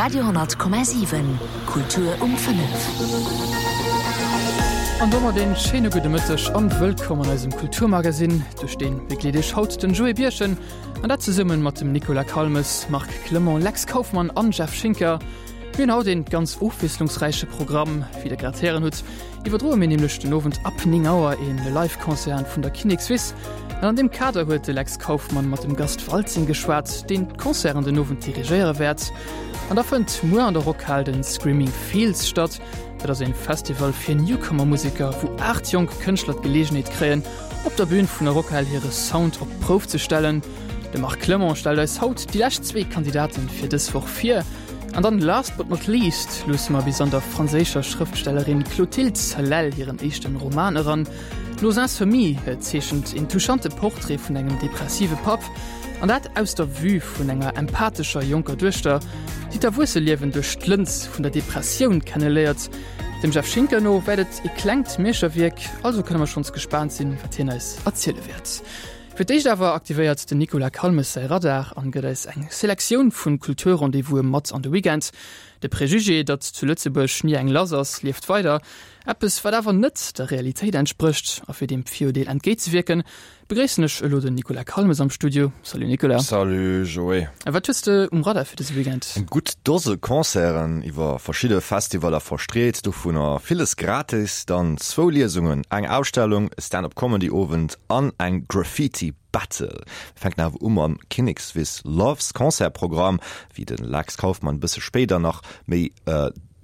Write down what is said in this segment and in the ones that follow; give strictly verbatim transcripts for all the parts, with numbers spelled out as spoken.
Radio honnert Komma siwen, Kultur um fënnef. An domat een schéine gudde Mëtteg an wëllkomm an eisem Kulturmagazin. Duerch deen begleet iech haut den Joé Birchen an dat zesummen mat dem Nicolas Calmes, Marc Clement, Lex Kauffmann an Jeff Schinker. Mir hunn haut een ganz ofwiesslungsräiche Programm. Wéi der grad héieren hutt, iwwerdroe mir nämlech den Owend ab néng Auer een Live-Concert vun der Kinnekswiss. An an deem Kader huet de Lex Kauffmann mat dem Gast Waltzing geschwat, deen d'Concerten den Owend dirigéiere wäert. An da fënnt muer an der Rockhal den Screaming Fields statt. Dat ass een Festival fir Newcomer-Museker, wou aacht jonk Kënschtler d'Geleegenheet kréien, op der Bün vun der Rockhal hire Sound op d'Prouf ze stellen. De Marc Clement stellt eis haut déi lescht zwee Kandidaten fir dës Woch vir. An dann last but not least luusse mer bis an der franséischer Schrëftstellerin Clotilde Salelle hiren éischten Roman eran. Nos Insomnies zeechent een touchante Portrait vun engem depressive Papp, an dat aus der Vue vun enger empathescher jonker Duechter, déi d'Erwuesseliewen duerch d'Lëns vun der Depressioun kenneléiert. Dem Jeff Schinker no wäert et e klengt Meeschterwierk, also kënne mer schonns gespaant sinn, wat hien eis erziele wäert. Fir d'éischt awer aktivéiert den Nicolas Calmes säi Radar an gëtt eis eng Selektioun vun Kulturrendez-vouse mat an de Weekend. De Prejugé, datt zu Lëtzebuerg ni eng lass ass, lieft weider. Eppes, wat awer net der Realitéit entsprécht. A fir deem Viruerdeel entgéintzewierken, begréissen ech elo den Nicolas Calmes am Studio. Salut Nicolas. Salut Joé. Wat hues de um Radar fir dëse Weekend? Eng gutt Dose Concerten iwwer verschidde Festivaller verstreet, dovunner villes gratis, dann zwou Liesungen, eng Ausstellung, e Stand-up-Comedy-Owend an eng Graffiti Battle. Mir fänken awer u mam Kinnekswiss Loves Concertprogramm, wéi de Lex Kauffmann e bësse spéider nach méi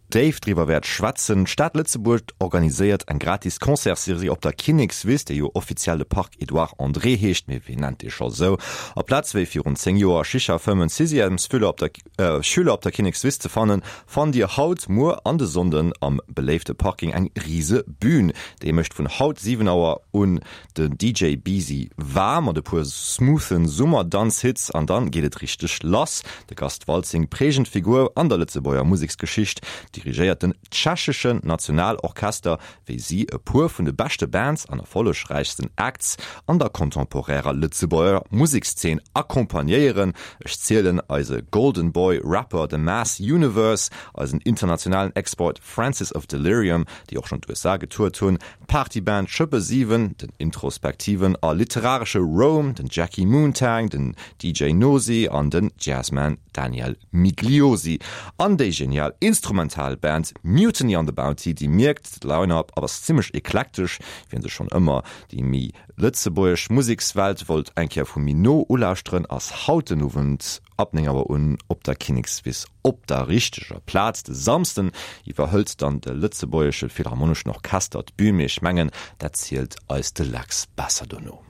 déif driwwer wäert schwätzen. D'Stad Lëtzebuerg organiséiert eng gratis Concertsserie op der Kinnekswiss, déi jo offiziell de Parc Edouard André heescht, mee wien nennt dee scho sou? Aplaz wéi virun zéng Joer Shisha fëmmend Sixièmesfüller op der Schüler op der Kinnekswiss ze fannen, fannt Dir haut, muer an de Sonnden am beléifte Parking eng rise Bühn. Déi mécht vun haut siwen Auer un den D J Beezy waarm mat e puer smoothen Summerdanzhits an dann geet et richteg lass. De Gast Waltzing, prägend Figur an der Lëtzebuerger Museksgeschicht, dirigéiert den tschecheschen Nationalorchester, wéi si e puer vun de beschte Bands an erfollegräichsten Acts an der contemporärer Lëtzebuerger Musekszeen accompagnéieren. Ech zielen eise Golden Boy Rapper The Mass Universe, eisen internationalen Export Francis of Delirium, déi och schonn d'U S A getourt hunn, d'Partyband Schëppe siwen, den introspektiven a literaresche Rome, den Jackie Moontang, den D J Nosi an den Jazzman Daniel Migliosi an déi genial Instrumentalband Mutiny on the Bounty, déi mierkt, d'Line-up ass zimmlech eklektesch, wien sech schonn ëmmer déi méi lëtzebuergesch Musekswelt wollt eng Kéier vu méi no ulauschteren, ass haut den Owend ab néng Auer un op der Kinnekswiss op der richteger Plaz. De Samsden iwwerhëlt dann de Lëtzebuergesche Philharmoneschen Orchester d'Bün, mee ech mengen, dat zielt eis de Lex besser dono.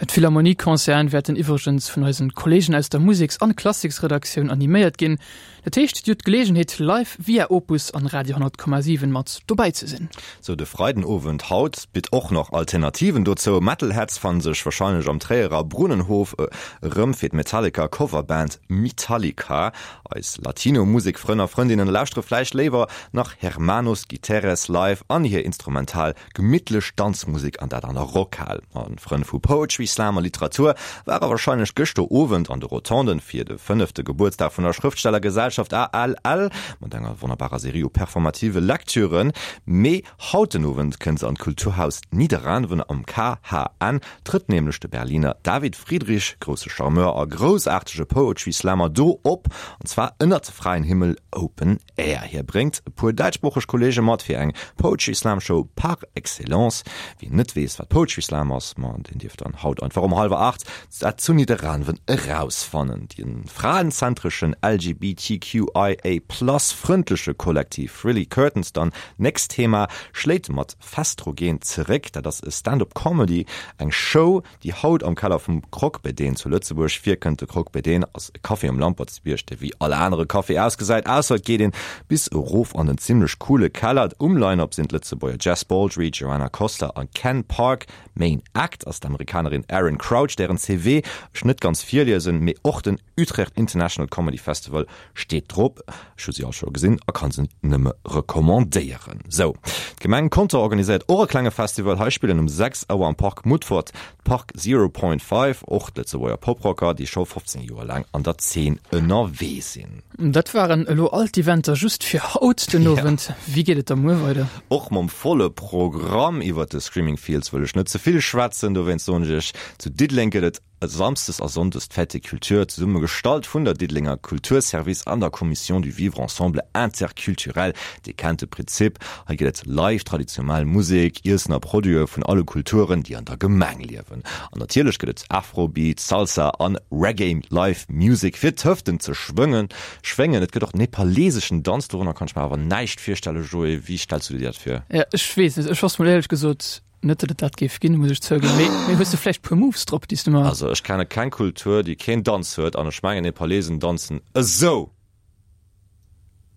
D'Philharmonie-Concerten wäerten iwwregens vun eisen Kolleegen aus der Museks- an Klassiksredaktioun animéiert ginn. Dat heescht, dir hutt d'Geleegenheet, live via Opus an Radio honnert Komma siwen mat dobäi ze sinn. Sou, de Freidenowend haut bitt och nach Alternativen dozou. Metalheads fannen sech wahrscheinlech am Tréierer Brunnenhof erëm fir d'Metallica Coverband Metallica. Eis Latino-Musikfrënn a Frëndinnen lauschtere vläicht léiwer nach Hermanos Guiterres live an hir instrumental gemittlech Danzmusek an dat an der Rockhal. An Frënn vu Poetry Slam a Literatur ware wahrscheinlech gëschter Owend an de Rotonden fir de fënnefte Gebuertsdag vun der Schrëftstellergesellschaft A L L mat enger wonnerbarer Serie u performative Lektüren. Mee haut den Owend kënnt se an d'Kulturhaus Nidderaanwen am K H N, trëtt nämlech de Berliner David Friedrich, grousse Charmeur a groussaartege Poetry Slammer, do op, an zwar ënnert fräien Himmel Open Air. Hie bréngt e puer däitschsproocheg Kolleege mat fir eng Poetry Slam Show par excellence. Wien net weess, wat Poetry Slam ass, ma deen dierf dann haut einfach um hallwer acht dat zu Nidderaanwen erausfannen. Den fraenzentreschen L G B T Q I A plus frëndleche Kollektiv Frilly Curtains dann nächst Thema schléit mat Festrogen zeréck. Dat ass e Stand-up-Comedy, eng Show, déi haut am Keller vum Croque Bédén zu Lëtzebuerg virkënnt. De Croque Bédén ass e Café um Lampertsbierg, dee wéi alle anere Café ausgesäit, ausser et geet een bis erof an den zimmlech coole Keller. Um Line-up sinn d'Lëtzebuerger Jess Baldry, Joanna Costa a Ken Park. Main Act ass d'Amerikanerin den Aaron Crouch, dären CV ech net ganz virliesen, mee och den Utrecht International Comedy Festival steet drop. Ech hu si all scho gesinn a kann se nëmme recommandéieren. Sou, d'Gemeng Conter organiséiert och e klenge Festival. Hei spillen um sechs Auer am Park Mutfert d'Park Zero Point Five, och Lëtzebuerger Poprocker, déi scho fofzéng Joer laang an der Zeen ënnerwee sinn. Dat waren elo all d'Eventer just fir haut den Owend. Wéi geet et da muer weider? Och mam volle Programm. Iwwert de Screaming Fields wëll ech net ze vill schwätzen, dowéinst soen ech iech, zu Diddeleng gëtt et Samsdes a Sonndes d'Fête des Cultures, zesumme gestallt vun der Diddelenger Kulturservice an der Commission du Vivre Ensemble Interculturel. Dir kennt de Prinzip, hei gëtt et live traditionell Musek, Iessen a Produite vun alle Kulturen, déi an der Gemeng liewen. An natierlech gëtt et Afrobeat, Salsa an Reggae Live Music fir d'Hëften ze schwëngen, schwéngen. Et gëtt och nepaleseschen Danz, dorënner kann ech mer awer näischt virstellen. Joé, wéi stells du dir dat vir? Ja, ech weess net, ech wosst mol éierlech gesot net, datt et dat géif ginn, muss ech zouginn. Mee, mee hues de vläicht puer Moves drop, déi s du mer. Also ech kenne keng Kultur, déi keen Danz huet, an ech mengen Nepalesen danzen esou!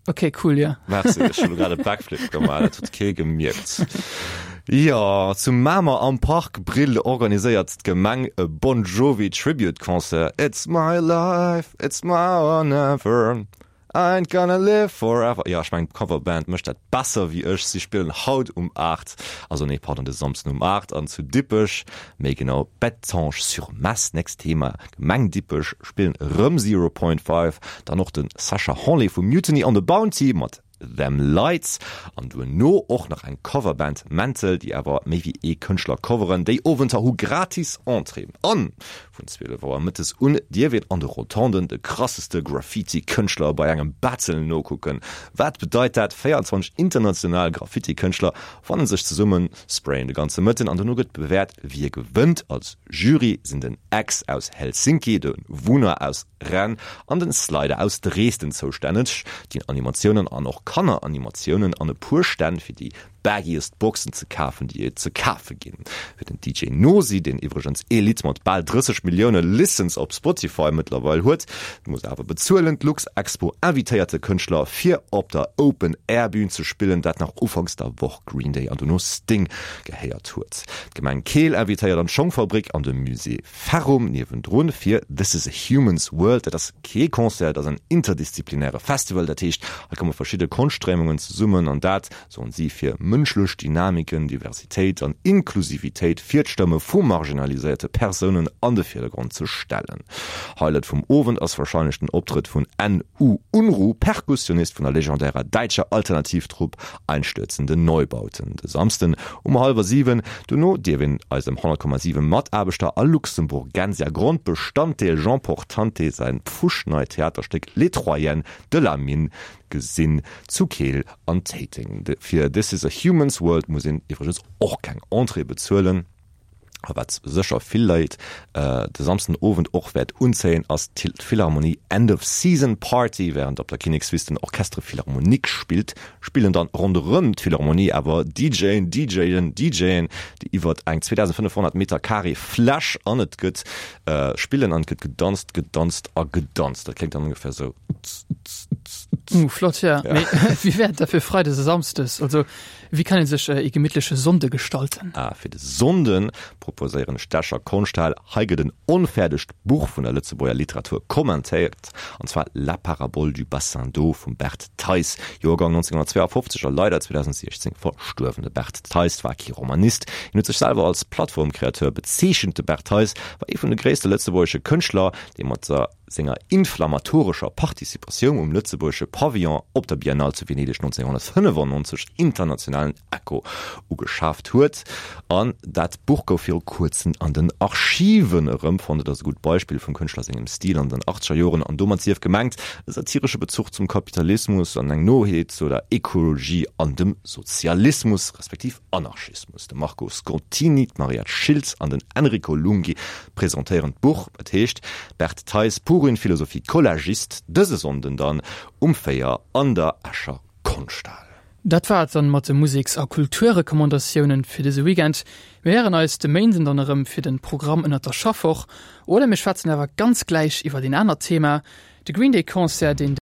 Ok, cool, ja. Merci, ech hunn elo grad e Backflip gemaach, dat huet kee gemierkt. Jo, zu Mamer am Park Brill organiséiert d'Gemeng e Bon Jovi Tribute Concert, It's my life, it's now or never. I ain't gonna live forever. Jo, ech mengen d'Coverband mécht dat besser wéi ech. Si spillen haut um aacht, also nee, pardon, de Samsden um aacht an zu Dippech, méi genau Bettange-sur-Mess. Nächst Thema, Gemeng Dippech, spillen erëm Zero Point Five, dann och de Sacha Hanlé vu Mutiny on the Bounty mat Them Lights an duerno och nach eng Coverband Mental, déi awer méi wéi ee Kënschtler coveren. Déi Owenter hu gratis Entrée an vun zwielef Auer mëttes un dierf een an de Rotonden de krasseste Graffiti-Kënschtler bei engem Battle nokucken. Wat bedeit dat? véierundzwanzeg international Graffiti-Kënschtler fannen sech zesummen, sprayen de ganze Mëtten an dono gëtt bewäert, wie gewënnt. Als Jury sinn den Ex aus Helsinki, de Wunner aus Rennes an den Slider aus Dresden zoustänneg. Ginn Animatiounen an och Kanneranimatiounen an e puer Stänn fir déi baggiest Boxen ze kafen, déi et ze kafe ginn. Fir den D J Nosi, deen iwwregens ee Lidd mat bal drësseg Millioune Listens op Spotify mëttlerweil huet, muss awer bezuelen. D'Luxexpo invitéiert de Kënschtler fir op der Open Air Bün ze spillen, dat nach ufanks der Woch Green Day an dono Sting gehéiert huet. D'Gemeng Keel invitéiert an d'Schongfabrik an de Musée Ferrum niewendrun fir This is a Human's World. Dat ass kee Concert, et ass en interdisziplinäre Festival. Dat heescht, hei komme verschidde Konschtstréimungen zesummen an dat, soen si, fir mënschlech Dynamiken, Diversitéit an Inklusivitéit fir d'Stëmme vu marginaliséierte Persounen an de Virdergrond ze stellen. Highlight vum Owend ass warscheinlech den Optrëtt vun N U. Unruh, Perkussionist vun der legendärer däitscher Alternativtrupp Einstürzende Neubauten, de Samsden um hallwer siwen. Dono dierf een eisem honnert Komma siwen Mataarbechter a Luxemburgensia Grondbestanddeel Jean Portante säin pfuschneit Theaterstéck Les Troyennes de la Mine gesinn zu Keel an Téiteng. Fir This is a Human's World muss een iwwregens och keng Entrée bezuelen. A wat sécher vill Leit de Samsden Owend och wäert unzéien, ass d'Philharmonie End of Season Party. Wärend op der Kinnekswiss den Orchestre Philharmonique spillt, spillen dann ronderëm d'Philharmonie awer DJen, DJen, DJen, déi iwwert eng zweedausendfënnefhonnert Meter Carré Fläch an et gëtt spillen an et gëtt gedanzt, gedanzt a gedanzt. Dat kléngt dann ongefähr sou. Uh, flott, ja. Mee wéi wär et da fir Freides a Samsdes? Also wéi kann ee sech ee gemittleche Sonnde gestalten? Ah, fir de Sonnde proposéieren ech d'Escher Konschthal. Hei gëtt en onfäerdegt Buch vun der Lëtzebuerger Literatur kommentéiert, an zwar La parabole du bassin d'eau vum Bert Theis, Joergang nonzénghonnertzweeafofzeg a leider zweedausendsiechzéng verstuerwen. De Bert Theis war kee Romanist, hien huet sech selwer als Plattformcreateur bezeechent. De Bert Theis war ee vun de gréisste lëtzebuergesche Kënschtler, dee mat senger inflammatorescher Participatioun um lëtzebuergesche Pavillon op der Biennale zu Venedeg nonzénghonnertfënnefannonzeg internationalen Echo ugeschaaft huet. An dat Buch gouf viru kuerzem an den Archiven erëmfonnt. Et ass e gutt Beispill vum Kënschtler sengem Stil an den achtzeger Joren an domat sief gemengt e satiresche Bezuch zum Kapitalismus an eng Noheet zu der Ekologie an dem Sozialismus, respektiv Anarchismus. De Marco Scottini, d'Mariette Schiltz an den Enrico Lunghi presentéieren d'Buch. Et heescht Bert Theis, pour une philosophie collagiste, dëse Sonnden dann um véier an der Escher Konschthal. Dat war et dann mat de Museks a Kulturrecommandatiounen fir dëse Weekend. Mir héieren eis de Méinden dann erëm fir den Programm ënnert der Schaffwoch oder mir schwätzen awer ganz gläich iwwert een anert Thema, de Green Day Concert, deen.